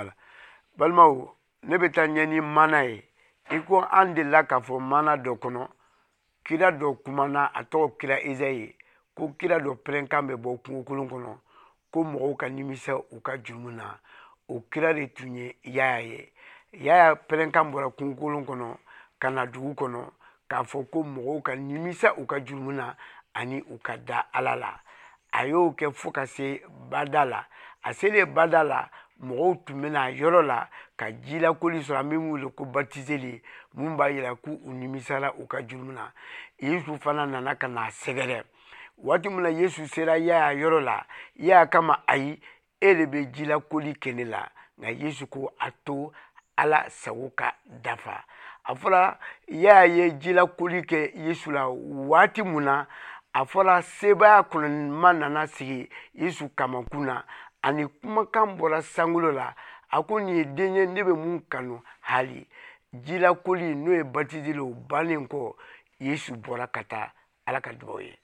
Wala balimaw, ne bɛ taa ɲɛ ni mana ye. I ko an delila k'a fɔ mana dɔ kɔnɔ, kira dɔ kumana, a tɔgɔ kira Ezayi, ko kira dɔ pɛrɛnkan bɛ bɔ kungokolon kɔnɔ ko mɔgɔw ka nimisa u ka jurumu na. O kira de tun ye Yaya ye. Yaya pɛrɛnkan bɔra kungokolon kɔnɔ ka na dugu kɔnɔ k'a fɔ ko mɔgɔw ka nimisa u ka jurumu na ani u ka da Ala la. A y'o kɛ fo ka se bada la. A selen bada la, mɔgɔw tun bɛna yɔrɔ la ka jilakoli sɔrɔ, an bɛ min wele ko batizeli, mun b'a yira k'u nimisara u ka jurumu na. Yesu fana nana ka n'a sɛgɛrɛ. Waati min na Yesu sera Yaya yɔrɔ la, Yaya kama ayi, e de bɛ jilakoli kɛ ne la. Nka Yesu ko a to Ala sago ka dafa. A fɔra Yaya ye jilakoli kɛ Yesu la waati mun na, a fɔra sebaaya kɔnɔma nana sigi Yesu kamakun na, ani kumakan bɔra sankolo la, a ko nin ye den ye ne bɛ mun kanu hali. Jilakoli n'o ye batizeli, o bannen kɔ, Yesu bɔra ka taa. Ala ka dugawu ye.